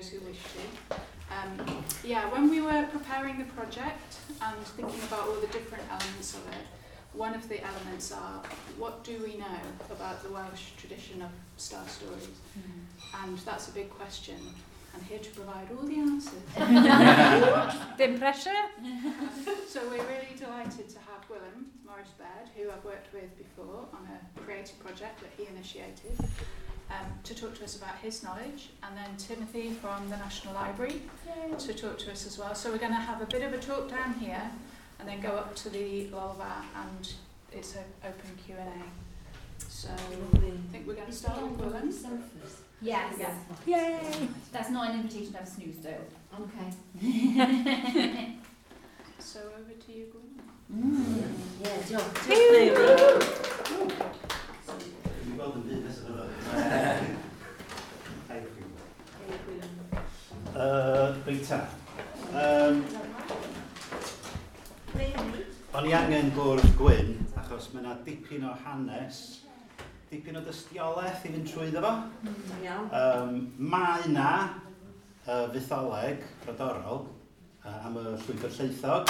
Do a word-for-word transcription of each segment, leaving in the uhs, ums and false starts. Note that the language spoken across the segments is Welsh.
those who wish to. Um, yeah, when we were preparing the project and thinking about all the different elements of it, one of the elements are, what do we know about the Welsh tradition of star stories? Mm. And that's a big question. And here to provide all the answers. Dim pressure. So we're really delighted to have Gwilym Morris Baird, who I've worked with before on a creative project that he initiated, um, to talk to us about his knowledge, and then Timothy from the National Library. Yay. To talk to us as well. So we're going to have a bit of a talk down here and then go up to the Lolfa, and it's an open Q and A. So I think we're going to start with Gwilym. Yes. Yes. Yay! That's not an invitation to have a snooze though. Okay. So over to you, Gwilym. Mm. Yeah, diolch. Diolch. Dwi'n gweld yn byd nesaf yma. Reit ta. Um, o'n i angen bwrdd gwyn, achos mae yna dipyn o hanes, dipyn o dystiolaeth i fynd trwyddo fo. Um, mae yna uh, fytholeg brodorol uh, am y llwybr llaethog,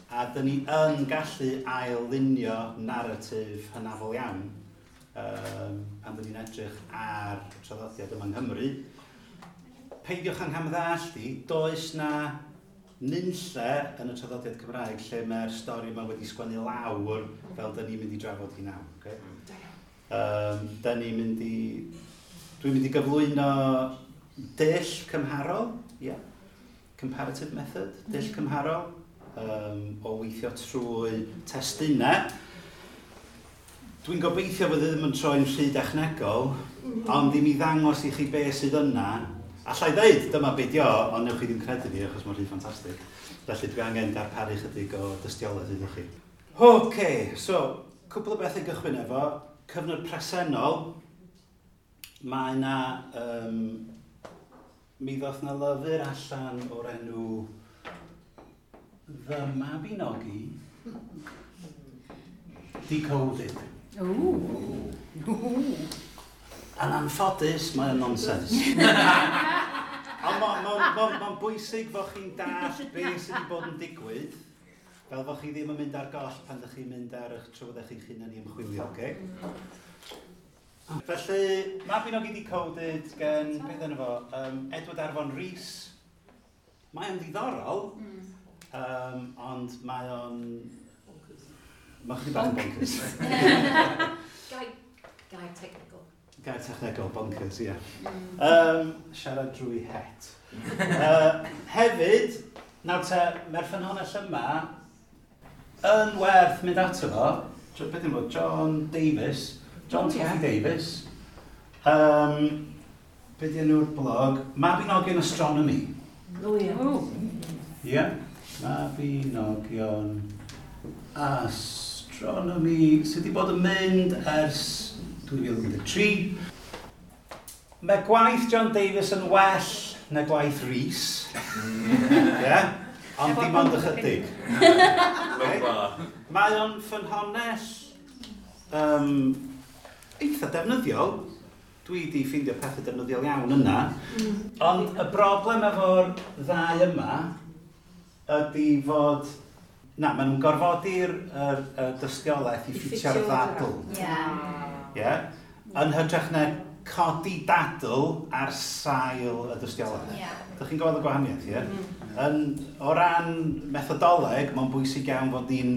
a dyn ni yn gallu ail-lunio naratif hynafol iawn um, pan dyn ni'n edrych ar y traddodiad yma yng Nghymru. Peidiwch â nghamddallt i, does na nunlle yn y traddodiad Cymraeg lle mae'r stori yma wedi sgwennu lawr fel dyn ni'n mynd i drafod hi nawr. Okay? Um, dyn ni'n mynd i... Dwi'n mynd i gyflwyno dull cymharol, yeah. Comparative method, dull cymharol, um, o weithio trwy testunau. Dwi'n gobeithio fod e ddim yn troi'n rhy dechnegol, ond i mi ddangos i chi be sydd yna. Alla i ddeud, dyma be di o, ond newch chi ddim credu fi, achos mae'n rhy ffantastig. Felly dwi angen darparu chydig o dystiolaeth iddo chi. OK, so, cwpl o bethau gychwyn efo. Cyfnod presennol, mae yna, um, mi ddoth na lyfr allan o'r enw The Mabinogi Decoded. Ooh. Yn anffodus, mae'n nonsens. Ond mae'n ma, ma, ma bwysig fod chi'n dallt beth sydd wedi bod yn digwydd, fel fod chi ddim yn mynd ar goll pan ydych chi'n mynd ar eich trywydd eich hunan i ymchwilio, okay? Felly, Mabinogi Decoded gen, beth enw fo, um, Edward Arfon Rees. Mae o'n ddiddorol, um, ond mae o'n... Mae'n chydig bach yn bonkers. Gair, gair technical. Gair technegol, bonkers, ie. Yeah. Um, siarad drwy het. Uh, hefyd, nawr te, mae'r ffynhonnell yma yn werth mynd ato fo. Beth yw'n fod? John Davies. John oh, yeah. Davies. Um, beth yw'n blog? Mabinogion Astronomy. Oh, ie. Oh. Ie. Mabinogion Astronomy. Sydd wedi bod yn mynd ers dwy fil un deg tri. Mae gwaith John Davies yn well na gwaith Rhys. Yeah? Ond dim ond ychydig. Okay? Mae o'n ffynhonnell um, eitha defnyddiol. Dwi wedi ffeindio pethau defnyddiol iawn yna. Ond y broblem efo'r ddau yma ydy fod... Na, maen nhw'n gorfodi'r yr, y dystiolaeth i ffitio'r ddadl. Yeah. Yeah? Yn hytrach na codi dadl ar sail y dystiolaeth. Yeah. Dych chi'n gweld y gwahaniaeth, ie? Mm. Yn, o ran methodoleg, mae'n bwysig iawn fod ni'n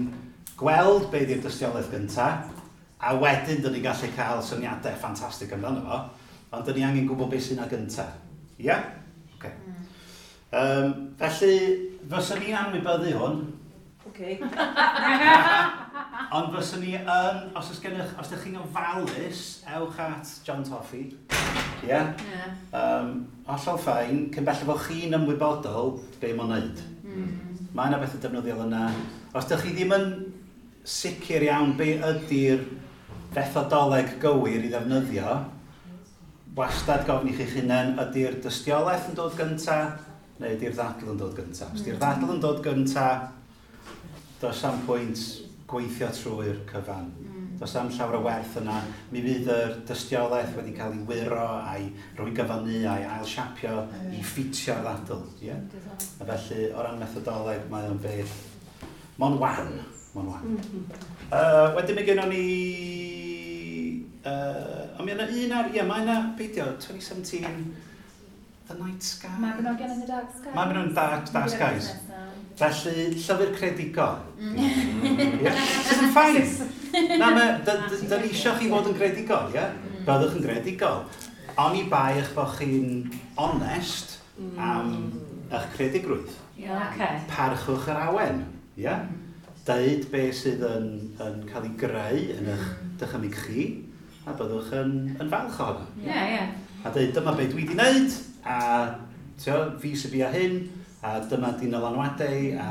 gweld be ydy'r dystiolaeth gyntaf, a wedyn dyn ni'n gallu cael syniadau ffantastig amdano fo, ond dyn ni angen gwybod beth sy'n yna gyntaf. Ie? Yeah? Okay. Mm. Um, felly, fyswn ni'n anwybyddu hwn. Okay. Ond fyswn ni yn, os oes gennych, os ydych chi'n ofalus, ewch at John Toffey. Ie? Yeah? Yeah. Um, hollol fine, cyn belled fod chi'n ymwybodol be mae'n neud. Mm. Mae yna bethau defnyddiol yna. Os ydych chi ddim yn sicr iawn be ydy'r fethodoleg gywir i ddefnyddio, wastad gofyn i chi'ch hunain, ydy'r dystiolaeth yn dod gynta, neu ydy'r ddadl yn dod gynta. Os ydy'r ddadl yn dod gynta, does am pwynt gweithio trwy'r cyfan. Mm. Does am llawer o werth yna. Mi fydd yr dystiolaeth wedi cael ei wyro a'i rwygo fyny a'i ailsiapio i ffitio'r ddadl. Yeah? A felly, o ran methodoleg, mae o'n beth... Mo'n wan. Mo'n wan. Uh, wedyn mae gennon ni... Uh, ond mi yna un ar... Ie, mae yna, beidio, twenty seventeen, The Night Sky. Mabinogion in the Dark Skies. Mabinogion in the Dark, Dark Skies. Felly, llyfr credigol. Mm. Yeah. Sydd yn fine. Na, da ni eisiau chi fod yn gredigol, ie? Yeah? Byddwch yn gredigol. Oni bai eich bod chi'n onest am eich credigrwydd. Yeah, okay. Parchwch yr awen, ie? Yeah? Deud be sydd yn, yn cael ei greu yn eich dychymyg chi, a byddwch yn, yn falch ohono. Yeah, yeah. A deud, dyma be dwi wedi wneud, a tio, fi sy'n bia hyn, a dyma di nylanwadau, a,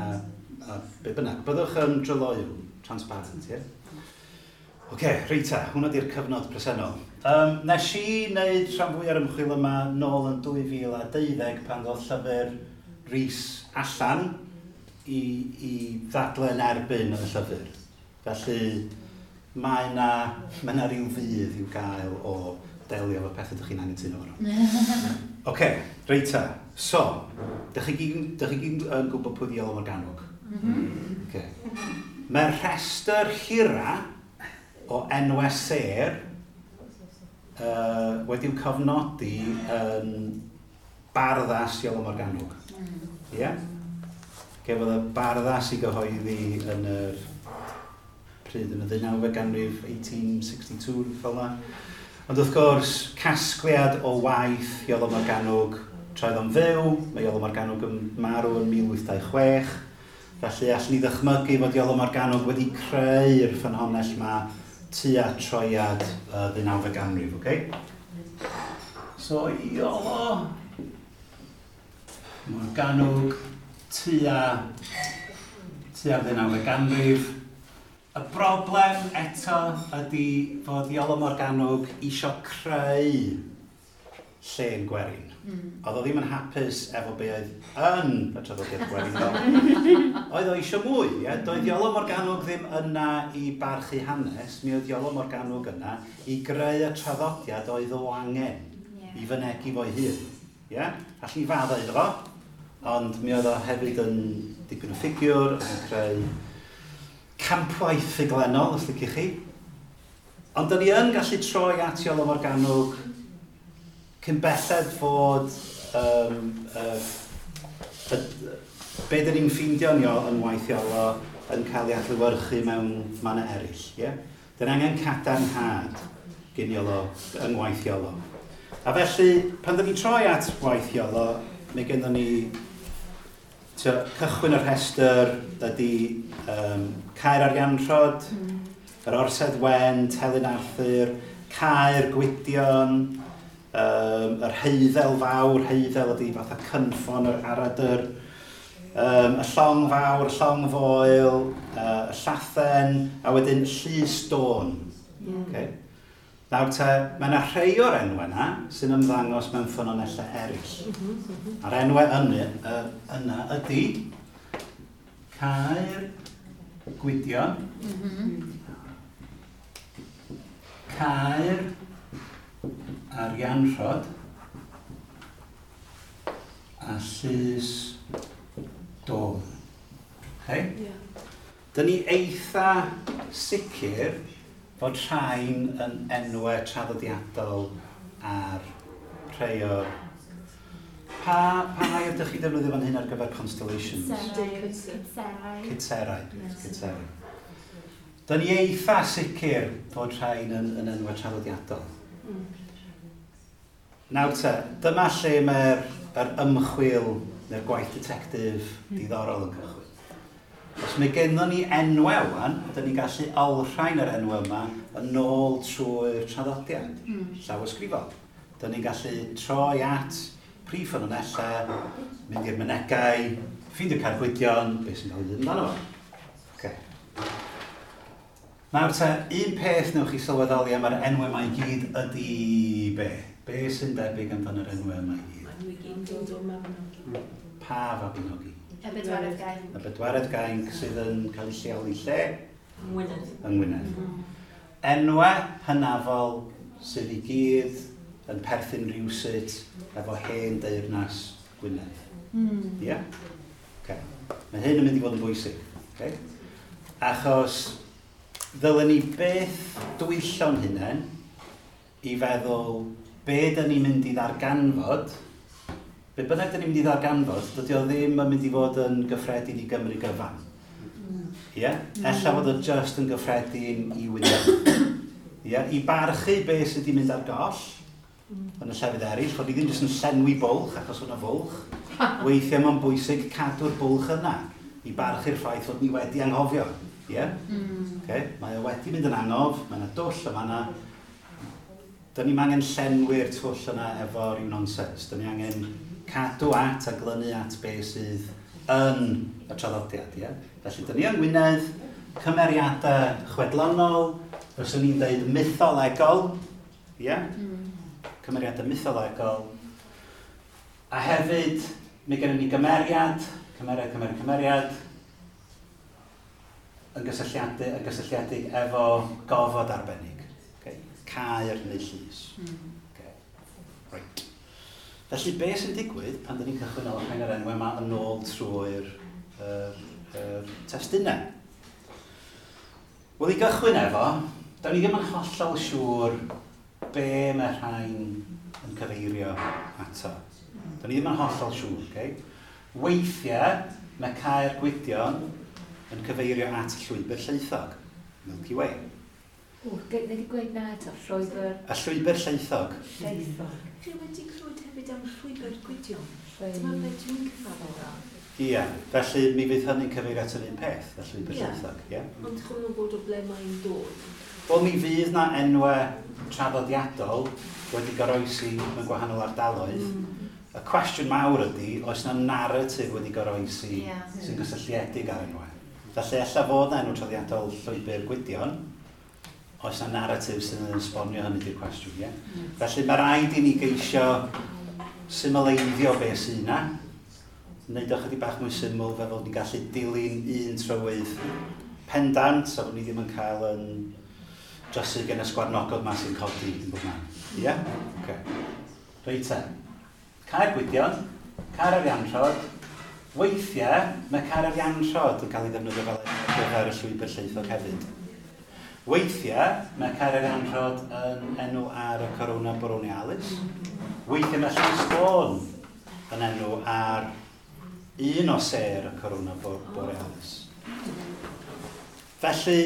a be bynnag. Byddwch yn dryloyw, transparent, ie? Yeah? Oce, okay, reit ta, hwnna di'r cyfnod presennol. Um, nes i wneud rhan fwy ar ymchwil yma nôl yn dwy fil a deuddeg pan ddodd llyfr Rhys allan i, i ddadlau yn erbyn y llyfr. Felly mae yna, mae yna rhyw fudd i'w gael o delio efo pethau ydych chi'n anghytuno efo nhw. Oce, okay, reit ta. So, dych chi gyd yn gwybod pwy 'di Iolo Morganwg? Mm-hmm. Okay. Mae'r rhestr hira o enwau sêr uh, wedi'w cofnodi yn Barddas Iolo Morganwg. Ie? Yeah? Gefodd y Barddas i gyhoeddi yn yr pryd yn y ddeunawfed ganrif, eighteen sixty-two, fel yna. Ond wrth gwrs, casgliad o waith Iolo Morganwg tra oedd o'n fyw, mae Iolo Morganwg yn marw yn mil wyth dau chwech, felly allwn ni ddychmygu fod Iolo Morganwg wedi creu'r ffynhonnell yma tua troiad y ddeunawfed ganrif, oce? Okay? So, Iolo Morganwg tua, tua'r ddeunawfed ganrif. Y broblem eto ydy fod Iolo Morganwg isio creu llên gwerin. Mm. Oedd o ddim yn hapus efo be oedd yn y traddodiad gwerin. Oedd o eisiau mwy, ie? Doedd Iolo Morganwg ddim yna i barchu hanes, mi oedd Iolo Morganwg yna i greu y traddodiad oedd o angen yeah. i fynegi fo'i hun. Ie? Allwn ni faddau iddo fo, ond mi oedd o hefyd yn dipyn o ffigiwr, yn creu campwaith ffuglenol, os liciwch chi. Ond da ni yn gallu troi at Iolo Morganwg cyn belled fod um, uh, uh, be dyn ni'n ffeindio ni yn waith Iolo yn cael ei adlewyrchu mewn mannau eraill. Yeah? Dyn angen cadarnhad gyn Iolo yng ngwaith Iolo. A felly, pan dyn ni'n troi at waith Iolo, mae gennym ni tio, cychwyn y rhestr ydy um, Caer Arianrhod, mm. yr Orsedd Wen, Telyn Arthur, Caer Gwydion, um, yr Heiddel Fawr, Heiddel ydy fatha cynffon yr aradr, um, y Llong Fawr, y Llong Foel, uh, y Llathen, a wedyn Llys Dôn. Mm. Okay. Nawr te, mae yna rhai o'r enwau yna sy'n ymddangos mewn ffynonellau eraill. A'r enwau yna, uh, yna ydy Caer Gwydion, mm-hmm. Caer Arianrhod a Llys Dôn. Okay? Yeah. Dyn ni eitha sicr fod rhain yn enwau traddodiadol ar rhai o'r... Pa, pa air ydych chi defnyddio fan hyn ar gyfer constellations? Cytserau. Cytserau. Cytserau. Dyn ni eitha sicr fod rhain yn, yn enwau traddodiadol. Mm. Nawr te, dyma lle mae'r yr ymchwil neu'r gwaith detectif diddorol yn cychwyn. Os mae gennym ni enwau wan, ydyn ni'n gallu olrhain yr enwau yma yn ôl trwy'r traddodiad, mm. llawysgrifol. Dyn ni'n gallu troi at prif ffynonellau, mynd i'r mynegai, ffeindio Caer Gwydion, beth sy'n cael ei ddweud amdano fo. Okay. Nawr te, un peth newch chi sylweddoli am yr enwau yma i gyd ydy be? Be sy'n debyg amdano'r enwau yma i gyd? Maen nhw i gyd yn dod o Mabinogi. Pa Fabinogi? Y Bedwaredd Gainc. Y Bedwaredd Gainc sydd yn cael ei lleoli lle? Yng Ngwynedd. Yng Ngwynedd. Mm. Enwau hynafol sydd i gyd yn perthyn rhywsut efo hen deyrnas Gwynedd. Mm. Ie? Yeah? Okay. Mae hyn yn mynd i fod yn bwysig. Okay? Achos ddylen ni byth dwyllo'n hunain i feddwl be dyn ni'n mynd i ddarganfod, be bynnag dyn ni'n mynd i ddarganfod, dydy o ddim yn mynd i fod yn gyffredin i Gymru gyfan. Ie? Yeah? Mm. Ella fod o just yn gyffredin i Wynedd. Ie? Yeah? I barchu be sydd wedi mynd ar goll yn y llefydd eraill, fod ni ddim jyst yn llenwi bwlch achos o'na fwlch. Weithiau mae'n bwysig cadw'r bwlch yna i barchu'r ffaith fod ni wedi anghofio. Ie? Yeah? Mm. Okay? Mae o wedi mynd yn angof, mae yna dwll yma yna. Dyn ni'n angen llenwi'r twll yna efo rhyw nonsens. Dyn ni angen cadw at a glynu at be sydd yn y traddodiad. Ie? Felly, dyn ni yng Ngwynedd, cymeriadau chwedlonol, fyswn ni'n dweud mytholegol, ie? Mm. Cymeriadau mytholegol. A hefyd, mae gennym ni gymeriad, cymeriad, cymeriad, cymeriad, yn gysylltiedig, yn gysylltiedig efo gofod arbennig. Okay? Caer neu llys. Mm. Okay. Right. Felly, be sy'n digwydd pan dyn ni'n cychwyn olrhain yr enwau yma yn ôl trwy'r uh, uh, testunau? Wel, i gychwyn efo, da ni ddim yn hollol siŵr be mae rhain yn cyfeirio ato. Da ni ddim yn hollol siŵr, okay? Weithiau, mae Caer Gwydion yn cyfeirio at llwybr llaethog, Milky Way. O, wedi gweud na eto, llwybr... Y llwybr llaethog. Llaethog. Chi wedi clywed hefyd am llwybr Gwydion? Dyma be dwi'n cyfadda. Ie, felly mi fydd hynny'n cyfeirio at yr un peth, y llwybr yeah. llaethog. Ie. Ond chi'n gwybod o ble mae'n dod? Wel, mi fydd na enwau traddodiadol wedi goroesi mewn gwahanol ardaloedd. Mm. Y cwestiwn mawr ydy, oes na narratif wedi goroesi yeah. sy'n gysylltiedig ar enwau? Felly, ella fod na enw traddodiadol llwybr Gwydion, oes na narratif sy'n esbonio hynny di'r cwestiwn, ie? Mm. Felly, mae rhaid i ni geisio symleiddio be sydd yna, wneud o chydig bach mwy syml fel fod ni'n gallu dilyn un trywydd pendant, a fod ni ddim yn cael yn drysu gen y sgwarnogod ma sy'n codi yn bob man. Ie? Yeah? Okay. Reit te. Caer Gwydion, Caer Arianrhod. Weithiau, mae Caer Arianrhod yn cael ei ddefnyddio fel ar gyfer y llwybr llaethog hefyd. Weithiau, mae Caer Arianrhod yn enw ar y Corona Borealis. Weithiau mae Llys Dôn yn enw ar un o sêr y Corona Borealis. Felly,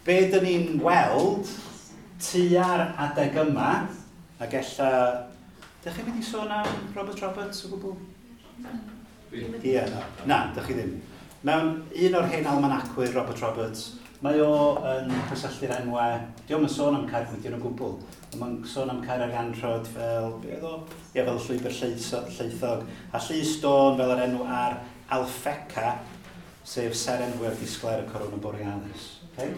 be dyn ni'n weld tua'r adeg yma, ac ella... Dych chi'n mynd i sôn am Robert Roberts o gwbl? Ie, na, na, dych chi ddim. Mewn un o'r hen almanacwyr, Robert Roberts, mae o yn cysylltu'r enwau, dio'm yn sôn am Caer Gwydion o gwbl, ond mae'n sôn am Caer Arianrhod fel, be oedd o? Ie, fel llwybr llaethog, a Llys Dôn fel yr enw ar Alfeca, sef seren fwyaf disglair y Corona Borealis. Okay?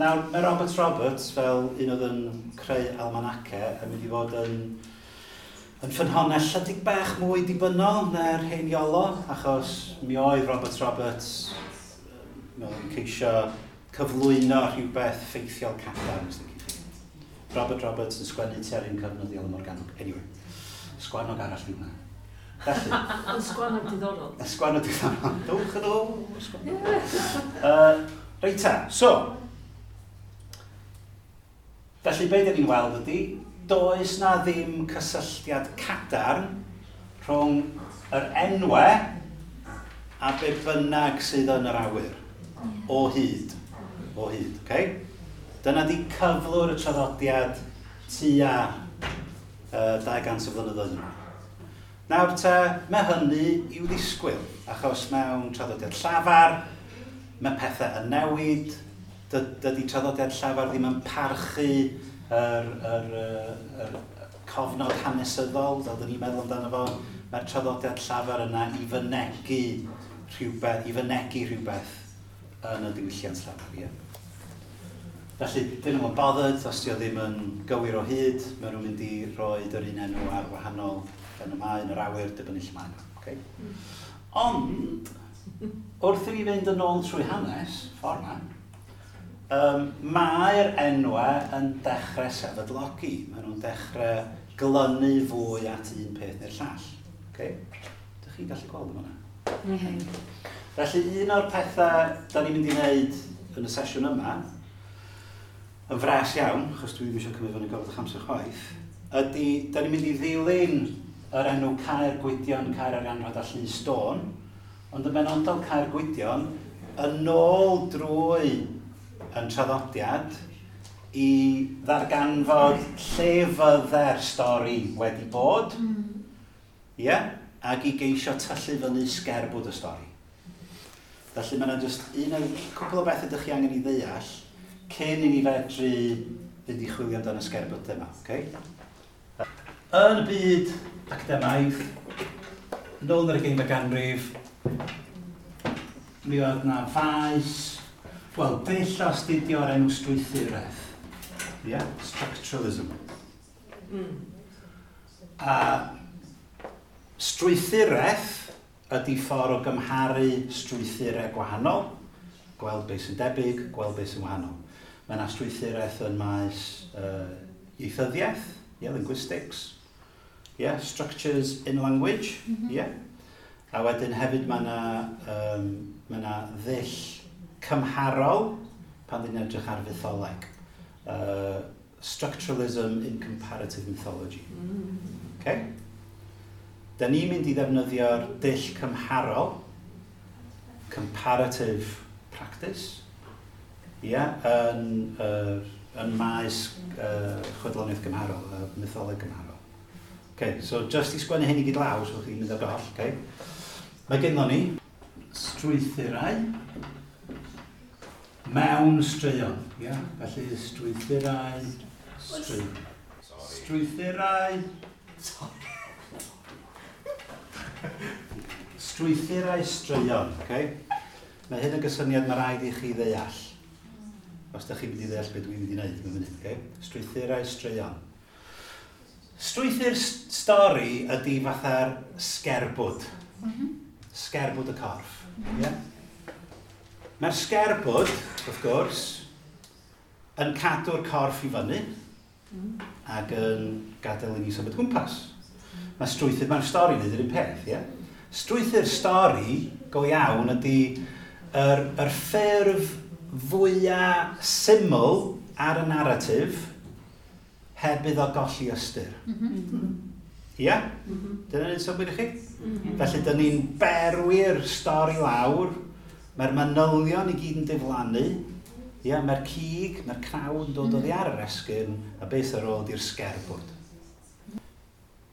Nawr, mae Robert Roberts, fel un oedd yn creu almanace, yn mynd i fod yn, yn ffynhonnell chydig bach mwy dibynnol na'r hen Iolo, achos mi oedd Robert Roberts yn ceisio cyflwyno rhywbeth ffeithiol cadarn, os ydych chi. Robert Roberts yn sgwennu tua'r un cyfnod i Iolo Morganwg. Anyway, sgwannog arall yw hwnna. Felly. Ond sgwannog diddorol. Y sgwannog diddorol. Dowch yn ôl, sgwannog. Uh, reit ta, so, felly be dyn ni'n weld ydy, does na ddim cysylltiad cadarn rhwng yr enwau a be bynnag sydd yn yr awyr. O hyd. O hyd, okay? Dyna di cyflwr y traddodiad tua uh, dau gant o flynyddoedd yn ôl. Nawr te, mae hynny i'w ddisgwyl, achos mewn traddodiad llafar, mae pethau yn newid, dydy traddodiad llafar ddim yn parchu yr, yr, yr, yr cofnod hanesyddol, fel dyn ni'n meddwl amdano fo, mae'r traddodiad llafar yna i fynegi rhywbeth, i fynegi rhywbeth yn y diwylliant llafar, ie. Felly, dyn nhw'n bothered, os di o ddim yn gywir o hyd, maen nhw'n mynd i roi yr un enw ar wahanol yn y maen, yr awyr, dibynnu lle maen nhw. Okay? Mm. Ond, wrth i ni fynd yn ôl trwy hanes, ffordd yma, Um, Mae'r enwau yn dechrau sefydlogi. Maen nhw'n dechrau glynu fwy at un peth neu'r llall. Okay? Dych chi'n gallu gweld yma? Mm -hmm. Felly, un o'r pethau da ni'n mynd i wneud yn y sesiwn yma, yn fras iawn, achos dwi ddim eisiau cymryd fyny gofod eich amser chwaith, ydy, da ni'n mynd i ddilyn yr enw Caer Gwydion, Caer Arianrhod a Llys Stôn, ond yn benodol Caer Gwydion, yn ôl drwy yn traddodiad i ddarganfod lle fydde'r stori wedi bod, mm. yeah, ac i geisio tyllu fyny sgerbwd y stori. Felly mae yna jyst un o'r cwpl o bethau ydych chi angen i ddeall cyn i ni fedru fynd i chwilio amdano y sgerbwd yma. Okay? Yn y byd academaidd, nôl yn yr ugeinfed ganrif, mi oedd na faes, wel, dull o astudio o'r enw strwythuraeth. Yeah? Structuralism. Mm. A strwythuraeth ydy ffordd o gymharu strwythurau gwahanol, gweld beth sy'n debyg, gweld beth sy'n wahanol. Mae yna strwythuraeth yn maes uh, ieithyddiaeth, yeah, linguistics, yeah, structures in language, mm -hmm. yeah. A wedyn hefyd mae yna, um, mae yna ddull cymharol pan ddyn edrych ar fytholeg. Uh, structuralism in comparative mythology. Mm. Okay? Da ni'n mynd i ddefnyddio'r dull cymharol, comparative practice, yeah, yn, uh, yn maes uh, chwedloniaeth gymharol, uh, mytholeg gymharol. Okay, so just i sgwennu hyn i gyd lawr, so chi'n mynd ar goll, okay? Mae gennym ni strwythurau mewn straeon. Yeah? Felly strwythurau, straeon. Strwythurau, strwythurau straeon. Okay? Mae hyn yn gysyniad mae rhaid i chi ddeall. Os ydych chi'n mynd i ddeall beth dwi'n mynd i wneud mewn munud. Okay? Strwythurau straeon. Strwythur stori ydy fatha'r sgerbwd. Mm -hmm. Sgerbwd y corff. Mm -hmm. Yeah? Mae'r sgerbwd, wrth gwrs, yn cadw'r corff i fyny mm. ac yn gadael i ni symud gwmpas. Mae strwythur, mae'r stori yn yr un peth, ie? Yeah? Strwythur stori go iawn ydy yr, yr ffurf fwyaf syml ar y narratif heb iddo golli ystyr. Ie? Mm -hmm. Yeah? Mm -hmm. Dyna'n neud synnwyr i chi? Mm -hmm. Felly, dyn ni'n berwi'r stori lawr, mae'r manylion i gyd yn diflannu, yeah, mae'r cig, mae'r cnawd yn dod oddi ar yr esgyrn, a beth ar ôl di'r sgerbwd.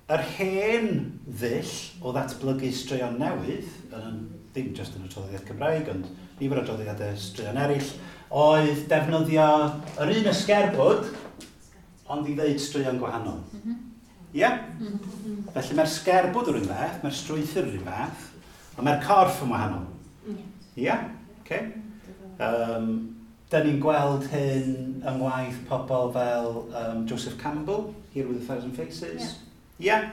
Yr hen ddull o ddatblygu straeon newydd, yn, ddim jyst yn y traddodiad Cymraeg, ond nifer o draddodiadau straeon eraill, oedd defnyddio yr un ysgerbwd, ond i ddeud straeon gwahanol. Ie? Yeah? Mm -hmm. Felly mae'r sgerbwd yr un fath, mae'r strwythur yr un fath, ond mae'r corff yn wahanol. Ie? Yeah? Okay. Um, da ni'n gweld hyn yng ngwaith pobl fel um, Joseph Campbell, Hero with a Thousand Faces. Ie. Yeah. Yeah.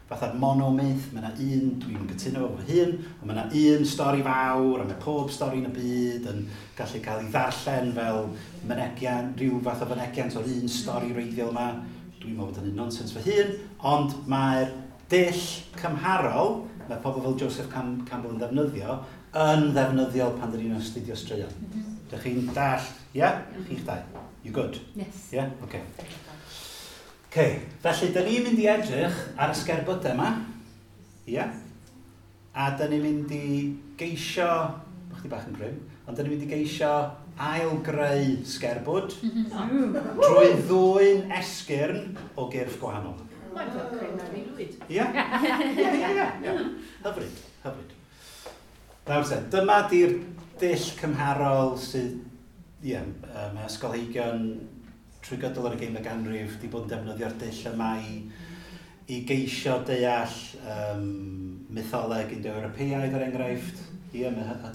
Fatha'r monomyth, mae yna un, dwi'n gytuno efo fy hun, ond mae yna un stori fawr, a mae pob stori yn y byd yn gallu cael ei ddarllen fel mynegiant, rhyw fath o fynegiant o'r un stori wreiddiol yma. Dwi'n meddwl bod hynny'n nonsens fy hun, ond mae'r dull cymharol, mae pobl fel Joseph Cam Campbell yn ddefnyddio, yn ddefnyddiol pan dyn ni'n astudio straeon. Mm -hmm. Dych chi'n dall? Ie? Yeah? Chi'ch dau? You good? Yes. Ie? Yeah? Okay. Okay. Felly, dyn ni'n mynd i edrych ar y sgerbydau yma. Ie? Yeah? A dyn ni'n mynd i geisio, bych chi bach yn grim, ond dyn ni'n mynd i geisio ail-greu sgerbwd drwy ddwyn esgyrn o gyrff gwahanol. Mae'n fel creu mewn i lwyd. Ie? Ie, ie, ie. Hyfryd, hyfryd. Nawr te, dyma di'r dull cymharol sydd, ie, mae ysgolheigion trwy gydol yr ugeinfed ganrif wedi bod yn defnyddio'r dull yma i, i geisio deall um, mytholeg Indo-Ewropeaidd er enghraifft. Ie,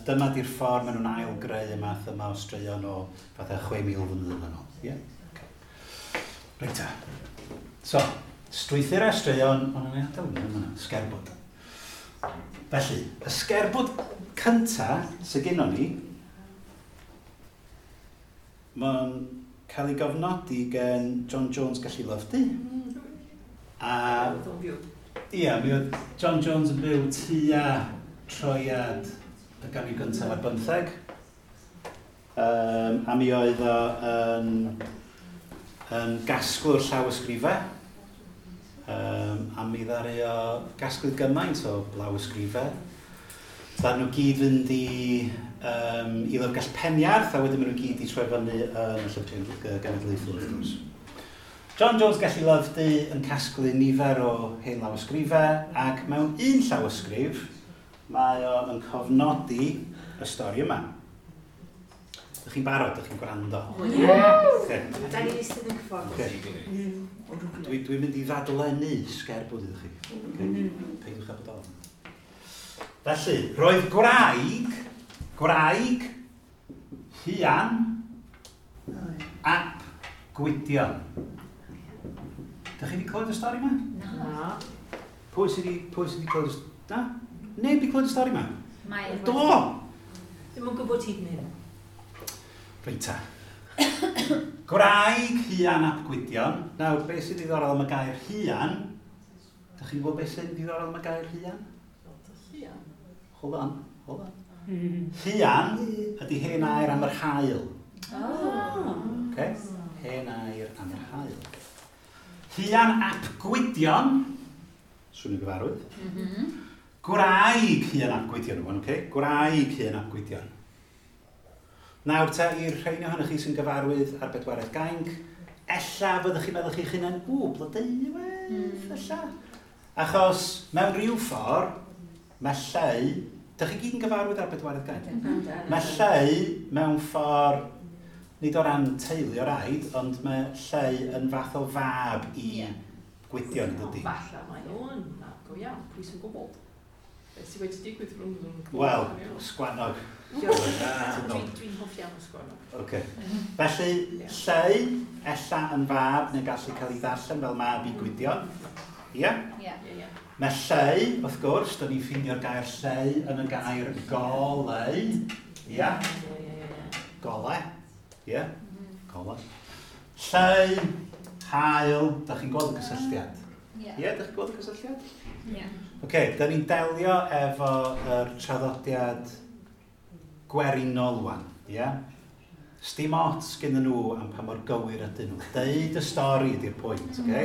dyma di'r ffordd maen nhw'n ail-greu y math yma o straeon o fatha chwe mil flynedd yn ôl. Ie? Okay. Reit ta. So, strwythurau straeon, ond yn ei adael yma, sgerbwd. Felly, y sgerbwd cynta sydd gennon ni, Mae'n cael ei gofnodi gen John Jones Gelli Lyfdi. Mm. A, ia, mi oedd John Jones yn byw tua troiad y ganrif gyntaf ar bymtheg. Um, a mi oedd o yn, yn gasglwr llawysgrifau. Um, a mi ddaru o gasglu gymaint o lawysgrifau. Ddaru nhw gyd fynd i, um, i Lyfrgell Peniarth, a wedyn maen nhw gyd i troi fyny yn y Llyfrgell Genedlaethol, wrth gwrs. John Jones Gelli Lyfdi yn casglu nifer o hen lawysgrifau, ac mewn un llawysgrif mae o yn cofnodi y stori yma. Dych chi'n barod? Dych chi'n gwrando? O, ie. Okay. Da ni'n eistedd yn cyffordd. Okay. Dwi, dwi'n mynd i ddadlennu sgerbwd iddo chi. Okay. Peidiwch â bod ofn. Felly, roedd gwraig, gwraig, Huan, ap Gwydion. Dych chi wedi clywed y stori yma? Na. Pwy sydd wedi, pwy sydd wedi clywed y stori? Na? Neb wedi clywed y stori yma? Mae. Do! Ddim yn gwybod hyd yn hyn. Reit ta. Gwraig Huan ap Gwydion. Nawr, beth sy'n ddiddorol am y gair Huan? Dych chi'n gwybod beth sy'n ddiddorol am y gair Huan? Huan? Hold on, hold on. Huan ydy hen air am yr haul. Oh. Okay? Hen air am yr haul. Huan ap Gwydion, swnio gyfarwydd. Mm -hmm. Gwraig Huan ap Gwydion, rwan, okay? Gwraig Huan ap Gwydion. Nawr te, i'r rheini ohonoch chi sy'n gyfarwydd ar bedwaredd gainc, ella fyddwch chi'n meddwl chi'ch hunain, ww, Blodeuwedd, mm. ella. Achos mewn rhyw ffordd, mae Lleu, dych chi gyd yn gyfarwydd ar bedwaredd gainc? Mm -hmm. Mae Lleu mewn ffordd, nid o ran teulu o raid, ond mae Lleu yn fath o fab i yeah. Gwydion, dydy. Falle mae o'n mab go iawn, pwy sy'n gwybod? Beth sydd wedi digwydd rhwng nhw'n... Wel, sgwannog. Dwi'n dwi hoff iawn o sgwannog. Okay. Felly, Lleu, ella yn fab, neu gallu cael ei ddarllen fel mab i Gwydion. Ie? Ie. Mae Lleu, wrth gwrs, dyn ni'n ffeindio'r gair Lleu yn y gair goleu. Ie? Gole. Ie? Gole. Lleu, haul, da chi'n gweld y cysylltiad? Ie. Ie, da chi'n gweld y cysylltiad? Ie. Oce, da ni'n delio efo yr traddodiad gwerinol wan, ie? Sdim ots gyda nhw am pa mor gywir ydyn nhw. Deud y stori ydy'r pwynt, oce?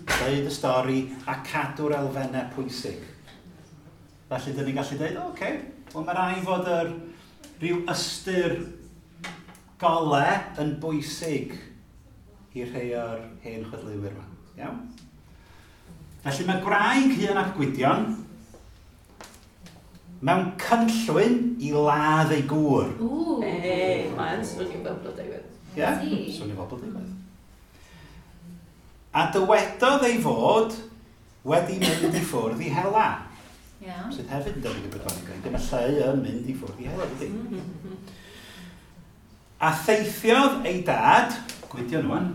Deud y stori a cadw'r elfennau pwysig. Felly, dyn ni'n gallu deud, o, oce, wel mae rai fod yr rhyw ystyr gole yn bwysig i rhai o'r hen chwedleuwyr yma, iawn? Felly mae gwraig Huan ap Gwydion mewn cynllwyn i ladd ei gŵr. Ww. Ei, mae'n swnio fel Blodeuwedd. Ie, swnio fel Blodeuwedd. A dywedodd ei fod wedi mynd i ffwrdd i hela. Yeah. Sydd hefyd yn debyg i bedwaredd gainc. Mae Lleu yn mynd i ffwrdd i hela, dydy. A theithiodd ei dad, Gwydion wan,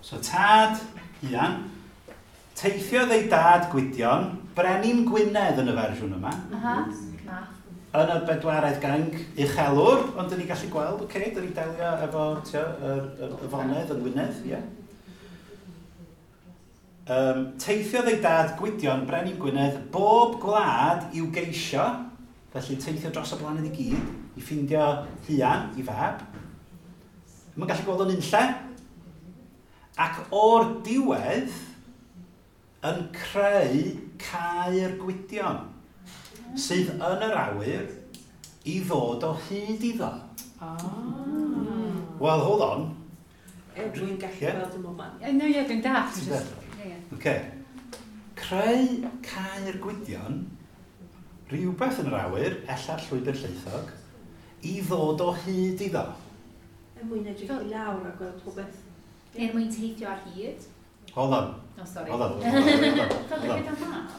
so tad Huan, teithiodd ei dad Gwydion, Brenin Gwynedd yn y fersiwn yma. Aha. Yn y bedwaredd gainc uchelwr, ond dyn ni gallu gweld, oce, okay, dyn ni delio efo tio, y, y, y fonedd yn Gwynedd, ie. Yeah. Um, teithiodd ei dad Gwydion, Brenin Gwynedd, bob gwlad i'w geisio, felly teithio dros y blaned i gyd, i ffindio Huan, i fab. Mae'n gallu gweld o'n unlle. Ac o'r diwedd, yn creu caer Gwydion, sydd yn yr awyr i ddod o hyd iddo. Ah. Well, hold on. E, dwi'n gallu Yeah. gweld y moment. No, ie, dwi'n dallt. Ti'n Just, dallt? ie, ie. Okay. Creu caer Gwydion, rhywbeth yn yr awyr, ella'r llwybr llaethog, i ddod o hyd iddo. Er mwyn edrych i lawr a gweld popeth. Er mwyn teithio ar hyd. Hold on, Oh, sorry. hold on, hold on, hold on, hold on. Gyda mab.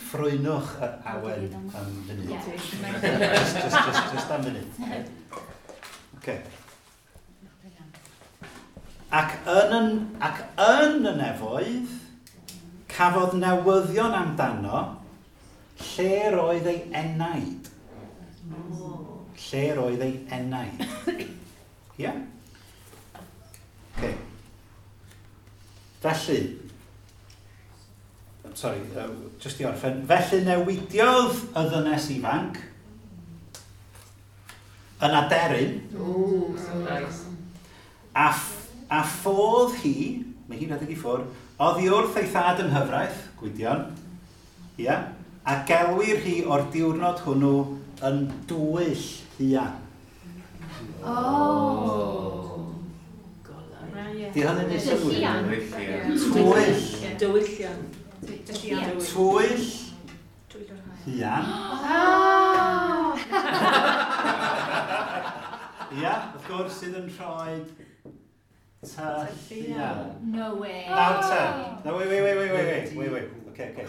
Ffrwynwch yr awen am funud. Yeah. Just, just, just, just am funud. Okay. Ac yn, yn, ac yn y nefoedd, cafodd newyddion amdano lle roedd ei enaid. Oh. Lle roedd ei enaid. Ie? Yeah? Felly, I'm sorry, uh, just i orffen, felly newidiodd y ddynes ifanc yn aderyn. Ooh, so nice. A, a ffodd hi, mae hi'n rhedeg i ffwrdd, oddi wrth ei thad yng nghyfraith, Gwydion, ia, a gelwir hi o'r diwrnod hwnnw yn dwyll huan. Oh. Di hynny'n neud synnwyr? Twyll. Dywyllian. Twyll huan. Ia, wrth gwrs sydd yn rhoi tylluan. No way. Nawr te. No, wait, wait, wait, wait, wait, wait, wait. Okay, okay.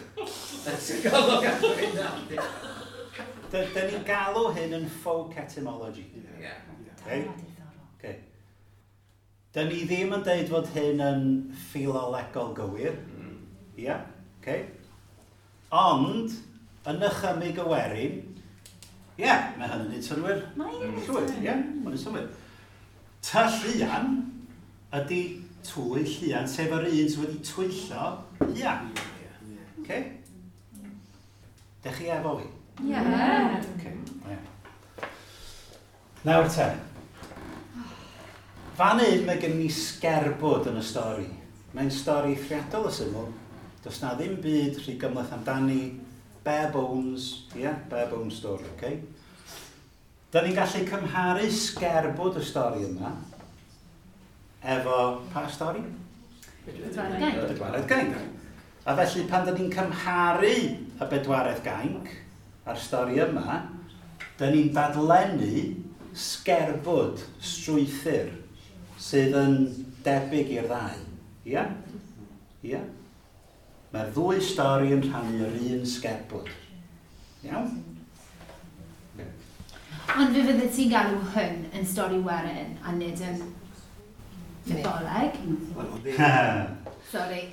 Dyn ni'n galw hyn yn folk etymology. Yeah. Okay? Okay. Dyn ni ddim yn deud fod hyn yn ffilolegol gywir. Ia, yeah, okay. Ond, yn nychymyg y werin, ie, yeah, mae hynny'n neud synnwyr. Mae'n Llwyr, ie, yeah, mae'n neud synnwyr. Tylluan ydy twyll huan, sef yr un sydd wedi twyllo huan. Okay? Dych chi efo fi? Ie. Yeah. Okay. Yeah. Nawr te. Fan hyn mae gen ni sgerbwd yn y stori. Mae'n stori eithriadol o syml. Does na ddim byd rhy gymhleth amdani. Bare bones, ie, yeah, bare bones story, okay? Da ni'n gallu cymharu sgerbwd y stori yma efo pa stori? Bedwaredd Gainc. Bedwaredd Gainc. A felly pan da ni'n cymharu y Bedwaredd Gainc a'r stori yma, da ni'n dadlennu sgerbwd strwythur sydd yn debyg i'r ddau. Ia? Ia? Mae'r ddwy stori yn rhannu yr un sgerbwd. Iawn? Ond fe fydde ti'n galw hwn yn stori werin a nid yn mytholeg? Sorry.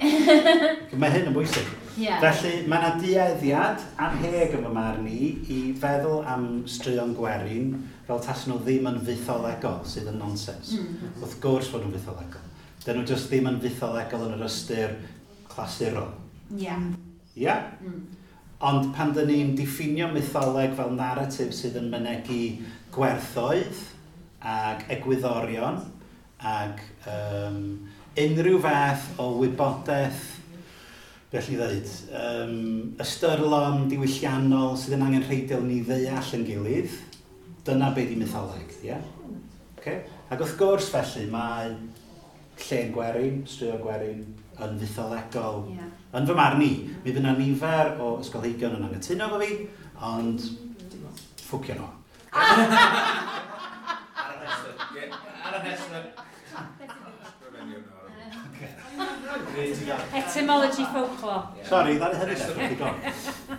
Mae hyn yn bwysig. Yeah. Felly, mae yna dueddiad anheg yn fy marn i i feddwl am straeon gwerin fel tasen nhw ddim yn fytholegol, sydd yn nonsens. Mm. Wrth gwrs fod nhw'n fytholegol. Dyn nhw just ddim yn fytholegol yn yr ystyr clasurol. Yeah. Yeah? Mm. Ond pan dyn ni'n diffinio mytholeg fel narratif sydd yn mynegi gwerthoedd ag egwyddorion ag um, unrhyw fath o wybodaeth, beth ni ddweud, um, ystyrlon diwylliannol sydd yn angenrheidiol ni ddeall yn gilydd, dyna be di mytholeg, ie? Yeah? Okay? Ac wrth gwrs felly mae llên gwerin, straeon gwerin, yn fytholegol. Yeah. Yn fy marn i, mi fydd yna nifer o ysgolheigion yn anghytuno efo fi, ond ffwcio nhw. Ar y rhestr. Ar y rhestr. Etymology folklore. Sorry, ddari hynny digon.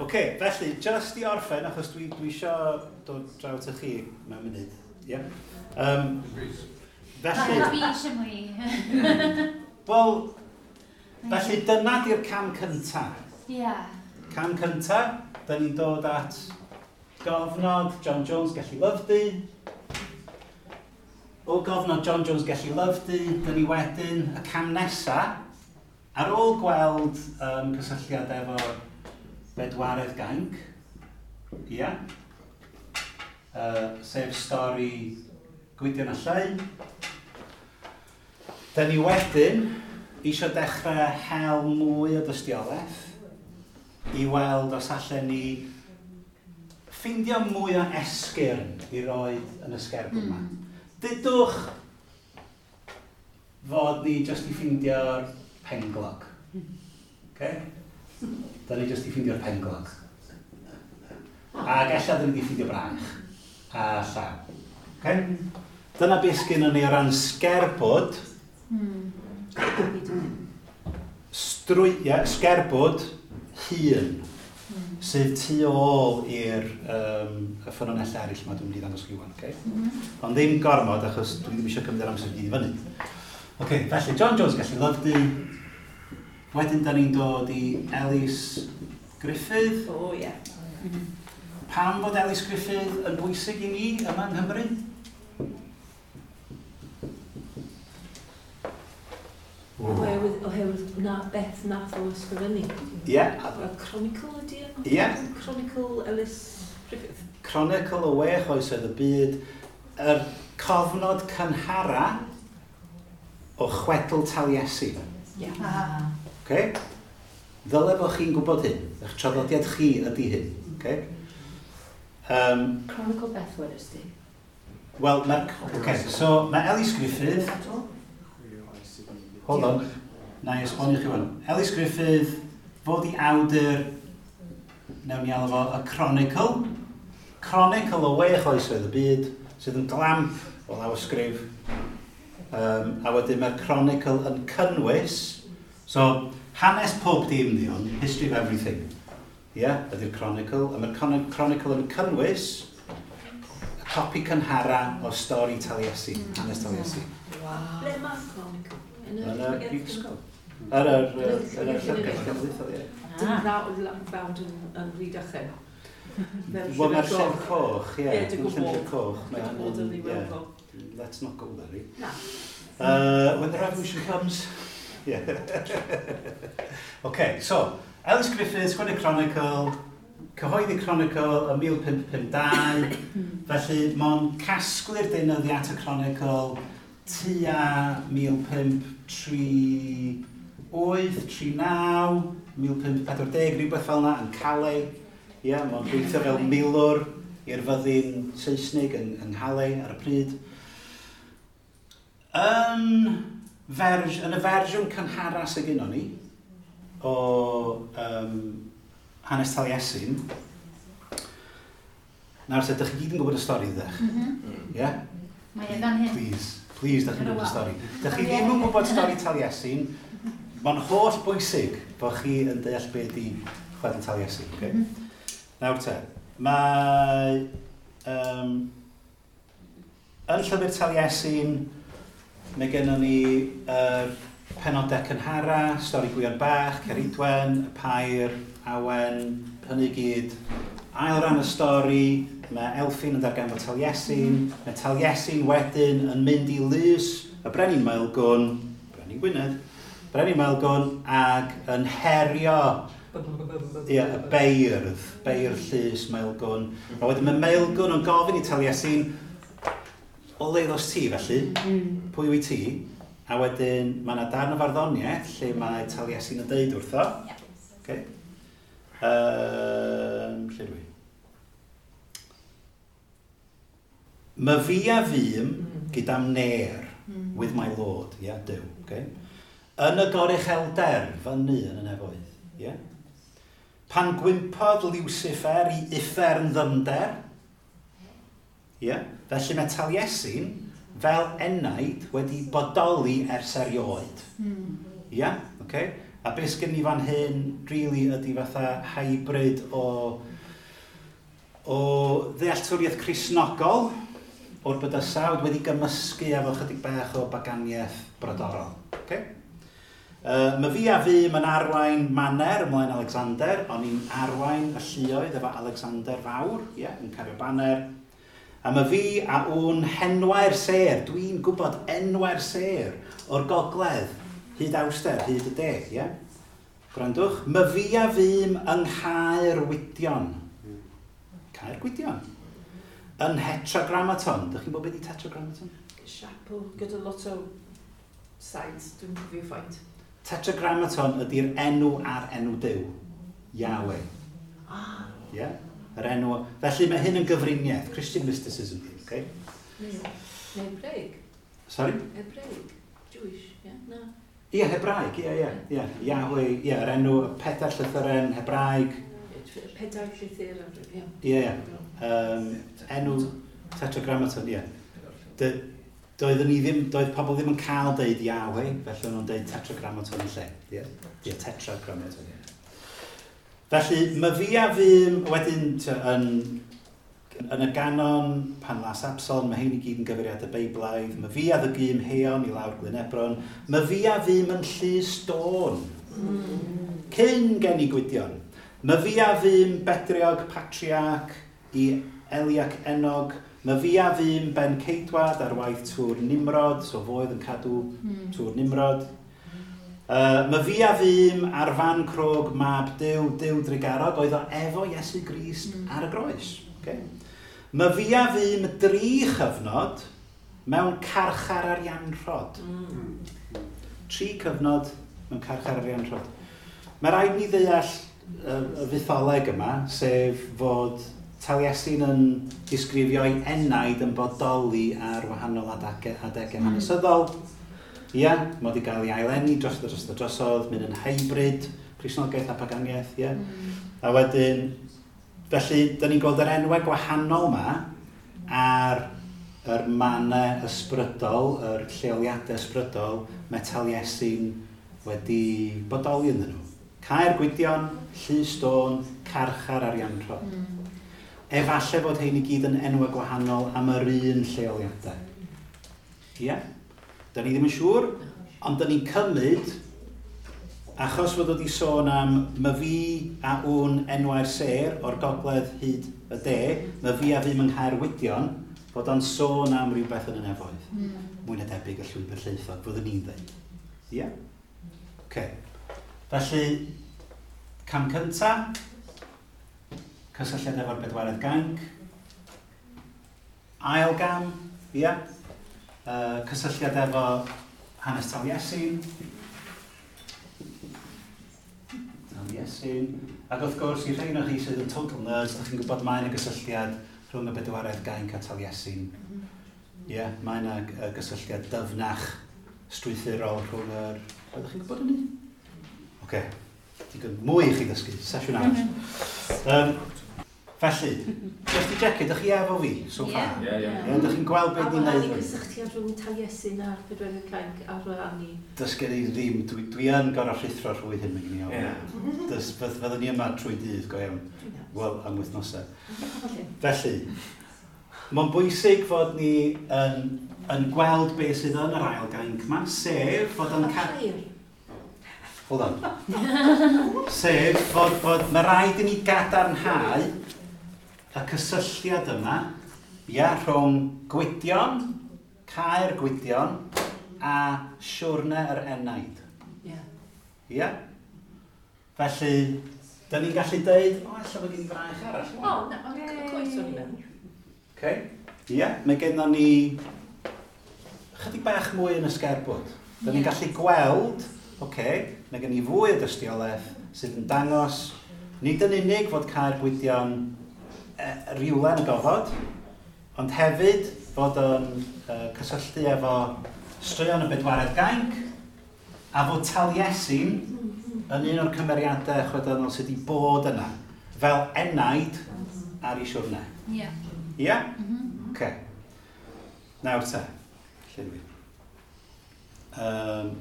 Oce, felly, just i orffen, achos dwi, dwi isio dod draw at chi mewn munud. Yeah. Um, felly... Dwi eisiau mwy. Wel, felly dyna di'r cam cynta. Yeah. Cam cynta, da ni'n dod at gofnod John Jones Gelli Lyfdi. O gofnod John Jones Gelli Lyfdi, da ni wedyn y cam nesa, ar ôl gweld um, cysylltiad efo Bedwaredd Gainc, ia, uh, sef stori Gwydion a Lleu, da ni wedyn eisiau dechrau hel mwy o dystiolaeth i weld os allan ni ffeindio mwy o esgyrn i roed yn y sgerbwd yma. Mm. Dudwch fod ni jyst i ffeindio'r penglog. Okay? Da ni jyst i ffeindio'r penglog. Ac ella da ni wedi ffeindio braich a llaw. Okay? Dyna beth sgynnon ni o ran sgerbwd. Mm. Strwy, yeah, sgerbwd hun sydd tu ôl i'r um, y ffynonellau eraill yma dwi'n mynd i ddangos chi wan, okay? Mm -hmm. Ond ddim gormod, achos dwi ddim eisiau cymryd yr amser i fyny. Okay, felly, John Jones Gelli Lyfdi. Wedyn da ni'n dod i Elis Gruffydd. O, ie. Pam fod Elis Gruffydd yn bwysig i ni yma yng Nghymru? Oherwydd, Oherwydd na beth nath o ysgrifennu. Ie. Yeah. A Chronicle ydy e? Ie. Yeah. Chronicle Ellis Griffith. Chronicle o wech oesoedd y byd. Yr cofnod cynhara o chwedl Taliesin. Ie. Yeah. Ah. Okay? Ddyle bod chi'n gwybod hyn. Eich traddodiad chi ydy hyn. Okay? Um, Chronicle beth wedys di? Wel, mae'r... Okay, so mae Ellis Griffith... Hold on. Na i esbonio chi hwn. Ellis Griffith, fod i awdur, newn ni alw fo, y Chronicle. Chronicle o wech oesoedd y byd, sydd yn glamp o lawysgrif. Um, a wedyn mae'r Chronicle yn cynnwys, so hanes pob dim di hwn, history of everything. Ie, yeah, ydy'r Chronicle. A mae'r Chronicle yn cynnwys y copi cynhara o stori Taliesin, mm. hanes Taliesin. Wow. Ble mae'r Chronicle? Yn y Brifysgol. Ar yr Llyfrgell Genedlaethol, ie. Dim fawd yn Rhydychen. Wel, mae'r llyfr coch, ie. Ie, dwi'n gwybod. Llyfr coch. Dwi'n gwybod yn ddiweddol. Let's not go there, Na. Uh, when the revolution comes. Yeah. Okay, so, Ellis Griffith, sgwennu Chronicle, cyhoeddi Chronicle yn mil pump pump dau, felly mae'n casglu'r deunyddiau at y Chronicle tua mil pump tri wyth, tri naw, mil pump pedwar deg, rhywbeth fel yna, yn Calais. Ie, yeah, mae'n gweithio fel milwr i'r fyddin Saesnig yng, yng Nghalais ar y pryd. Yn, ferj, yn y fersiwn cynhara sydd gynnon ni, o um, hanes Taliesin, nawr te, dych chi gyd yn gwybod y stori, ydych? Mm -hmm. Yeah? Mae e fan hyn. Please, please, dych chi'n gwybod y stori. Dych chi ddim yn gwybod stori Taliesin, mae'n holl bwysig bod chi yn deall be di chwedl Taliesin. Okay? Mm -hmm. Nawr te, mae um, yn llyfr Taliesin, mae gennym ni yr uh, penodau cynhara, stori Gwion Bach, Ceridwen, y Pair, Awen, hynny gyd. Ail ran y stori, mae Elffin yn darganfod Taliesin, mae Taliesin wedyn yn mynd i lys y Brenin Maelgwn, Brenin Gwynedd, Brenin Maelgwn, ag yn herio ie, y beirdd, beirdd llys Maelgwn. A wedyn mae Maelgwn yn gofyn i Taliesin, o le ddos ti felly, pwy wyt ti? A wedyn mae yna darn o farddoniaeth lle mae Taliesin yn deud wrtho. Okay. Um, lle dwi? My fi a fûm gyda'm ner, with my lord, yeah, Duw, okay? Yn y goruchelder, fyny yn y nefoedd, yeah? Pan gwympodd Lucifer i uffern ddyfnder, yeah? Felly mae Taliesin fel enaid wedi bodoli ers erioed. Mm. Yeah? Okay? A beth sgen ni fan hyn, really, ydy fatha hybrid o, o ddealltwriaeth Cristnogol o'r bydysawd wedi gymysgu efo chydig bach o baganiaeth brodorol. Okay? Uh, mae fi a fi yn arwain maner ymlaen Alexander, o'n i'n arwain y lluoedd efo Alexander Fawr, yeah, yn cario baner. A mae fi a wn henwau'r sêr, dwi'n gwybod enwau'r sêr o'r gogledd, hyd awster, hyd y de, yeah? Gwrandwch, mae fi a fûm yng Nghaer Gwydion. Caer Gwydion. Yn Tetragrammaton. Dych chi'n gwybod beth ydi Tetragrammaton? Siapel gyda lot o sides, dwi'n cofio ffaint. Tetragrammaton ydy'r enw ar enw Duw. Yahweh. Ah. Yeah? Yr enw. Felly mae hyn yn gyfriniaeth, Christian mysticism. Okay? Neu Hebraeg. Sorry? Hebraeg. Jewish, ie? Yeah? Na. Ie, Hebraeg, ie, ie. Ie, Yahweh, ie, yr enw, y pedair llythyren Hebraeg. Pedair llythyr, ie. Ie, ie. Um, enw Tetragrammaton, ie. Doeddwn ni ddim, doedd pobl ddim yn cael deud Yahweh, felly o'n nhw'n deud Tetragrammaton yn lle. Ie, ie, Tetragrammaton, ie. Felly, mae fi a fûm wedyn yn, yn y ganon, pan las Absalom, mae hyn i gyd yn gyfeiriadau Beiblaidd, mae fi a ddygym Heon i lawr Glyn Ebron, mae fi a fûm yn llys Dôn, mm. cyn gen i Gwydion. Mae fi a fûm Bedriog Patriarch i Eliac Enog, mae fi a fûm Ben Ceidwad ar waith Tŵr Nimrod, so foedd yn cadw mm. Tŵr Nimrod. Uh, my fi a fym ar fan crog mab Duw, Duw drugarog, oedd o efo Iesu Grist mm. ar y groes. Okay? My fi a fym dri chyfnod mewn carchar Arianrhod. Mm. Tri cyfnod mewn carchar Arianrhod. Mae rhaid ni ddeall y, y fytholeg yma, sef fod Taliesin yn disgrifio'i enaid yn bodoli ar wahanol adegau, adegau mm. hanesyddol. Ia, yeah, mod i gael ei aileni drosodd, drosodd, drosodd, mynd yn hybrid, Cristnogaeth a paganiaeth, ie. Yeah. Mm. A wedyn, felly, da ni'n gweld yr enwau gwahanol ma ar yr mannau ysbrydol, yr lleoliadau ysbrydol, mae Taliesin wedi bodoli ynddyn nhw. Caer Gwydion, Llys Dôn, Carchar Arianrhod. Mm. Efallai fod hein i gyd yn enwau gwahanol am yr un lleoliadau. Ie? Yeah? Da ni ddim yn siŵr, ond da ni'n cymryd, achos fod wedi sôn am my fi a wn enwau'r sêr o'r gogledd hyd y de, my fi a fym yng Nghaerwydion, fod o'n sôn am rhywbeth yn y nefoedd. Mm. Mwy na debyg y llwybr llaethog, fyddwn ni'n dweud. Ie? Yeah? Okay. Felly, cam cynta, cysylltiad efo'r bedwaredd gainc. Ail gam, ie? Yeah? Uh, cysylltiad efo hanes Taliesin. Taliesin. Ac wrth gwrs, i rhai ohonoch chi sydd yn total nerds, ydych chi'n gwybod mae yna gysylltiad rhwng y bedwaredd gainc a Taliesin. Ie, yeah, mae yna gysylltiad dyfnach strwythurol rhwng yr... Ydych chi'n gwybod hynny? Oce, okay. Digon mwy i chi ddysgu, sesiwn arall. Um, Felly, just i checio, ydych chi efo fi so far? Ie, ie. Ydych chi'n gweld beth ni'n neud? A bod gysylltiad rhwng Taliesin a'r bedwaredd gainc ar wahân i? Does gen i ddim, dwi, dwi yn gorau rhuthro rhwy hyn, mae gen i ofn. Does, fyddwn ni yma trwy dydd, go iawn. Wel, am wythnosau. Felly, mae'n bwysig fod ni yn, yn gweld beth sydd yn yr ail gainc yma, sef fod yn... Ca- Hold on. Sef fod, fod mae rhaid i ni gadarnhau y cysylltiad yma, ia, rhwng Gwydion, Caer Gwydion, a siwrne yr enaid. Ie. Ia? Felly, da ni'n gallu deud, o, ella fod gen i fraich arall. O, na, ond coes o'n i mewn. Okay. Ia, mae gennon ni chydig bach mwy yn y sgerbwd. Da ni'n gallu gweld, oce, okay, mae gen i fwy o dystiolaeth sydd yn dangos, nid yn unig fod Caer Gwydion e, rhywle yn y gofod, ond hefyd fod yn e, cysylltu efo straeon y bedwaredd gainc, a fod Taliesin yn un o'r cymeriadau chwedlonol sydd wedi bod yna, fel enaid ar ei siwrne. Ie. Ie? Oce. Nawr te, lle dwi? Um,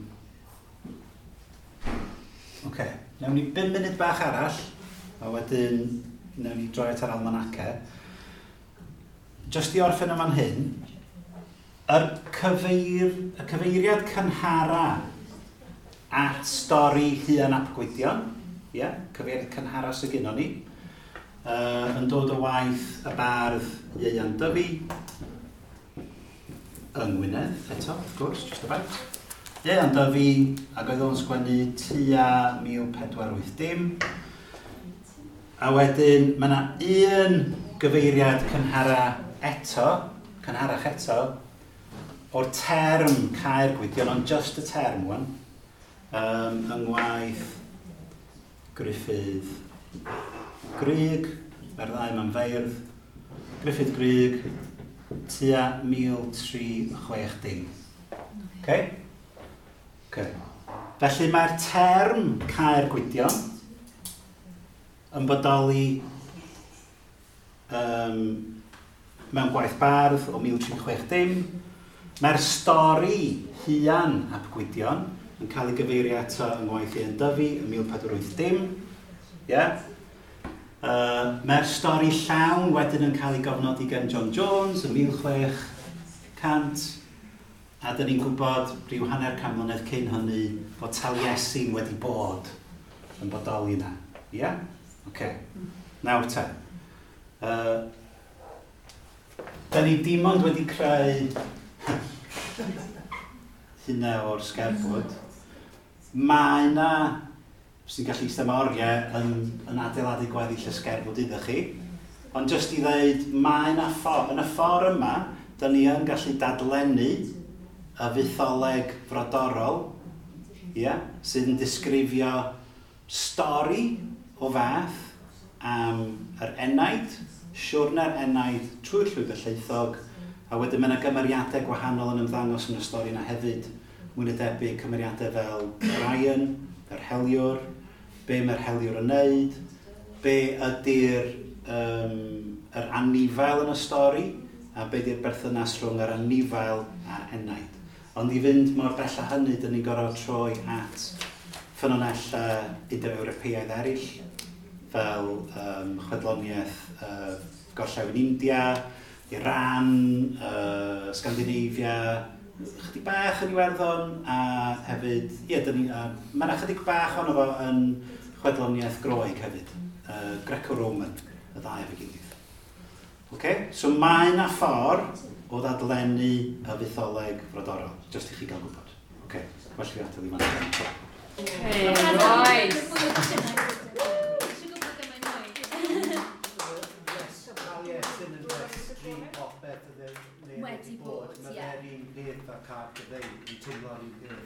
Oce, nawn ni bum munud bach arall, a wedyn nawn ni droi at yr almanace. Just i orffen yn fan hyn, yr cyfeir, y cyfeiriad cynhara at stori Huan ap Gwydion, ie, cyfeiriad cynhara sydd gynnon ni, uh, yn dod o waith y bardd Ieuan Dyfi, yng Ngwynedd, eto, wrth gwrs, just about. Ieuan Dyfi, ac oedd o'n sgwennu tua mil pedwar wyth dim. A wedyn, mae yna un gyfeiriad cynhara eto, cynharach eto, o'r term Caer Gwydion, ond just y term wan, um, yng ngwaith Gruffydd Grug, mae'r ddau ma'n feirdd, Gruffydd Grug, tua mil tri chwech dim. Okay? Okay. Felly mae'r term Caer Gwydion yn bodoli um, mewn gwaith bardd o mil tri chwech dim. Mae'r stori Huan ap Gwydion yn cael ei gyfeirio ato yng ngwaith Ieuan Dyfi yn mil pedwar wyth dim. Yeah. Uh, mae'r stori llawn wedyn yn cael ei gofnodi gan John Jones yn mil chwech cant. A dyn ni'n gwybod rhyw hanner can mlynedd cyn hynny fod Taliesin wedi bod yn bodoli yna. Ie? Yeah? Oce. Nawr te. Uh, da ni dim ond wedi creu hynna o'r sgerbwd. Mae yna, sy'n gallu eistedd am oriau yn, yn adeiladu gweddill y sgerbwd iddo chi, ond jyst i ddeud, mae yna ffordd, yn y ffordd yma, da ni yn gallu dadlennu y fytholeg frodorol, yeah, sydd yn disgrifio stori o fath am yr enaid, siwrne'r enaid trwy'r llwybr llaethog, a wedyn mae yna gymeriadau gwahanol yn ymddangos yn y stori yna hefyd, mwy na debyg cymeriadau fel Orion, yr heliwr, be mae'r heliwr yn neud, be ydy'r um, yr anifail yn y stori, a be ydy'r berthynas rhwng yr anifail a'r enaid. Ond i fynd mor bell â hynny, dyn ni'n gorfod troi at ffynonellau Indo-Ewropeaidd eraill, fel um, chwedloniaeth uh, Gorllewin India, Iran, uh, Scandinavia, chydig bach yn Iwerddon, a hefyd, ie, dyn ni, uh, mae yna chydig bach ono fo yn chwedloniaeth Groeg hefyd, uh, Greco-Roman, y ddau efo'i gilydd. Okay? So mae yna ffordd o ddadlennu y fytholeg frodorol, jyst i chi gael gwybod. Okay, well fi adael i fan hyn. Hey, right. Wedi bod, ie. Mae fe'r un peth a Car Gyfeil, yn teimlo'r un peth.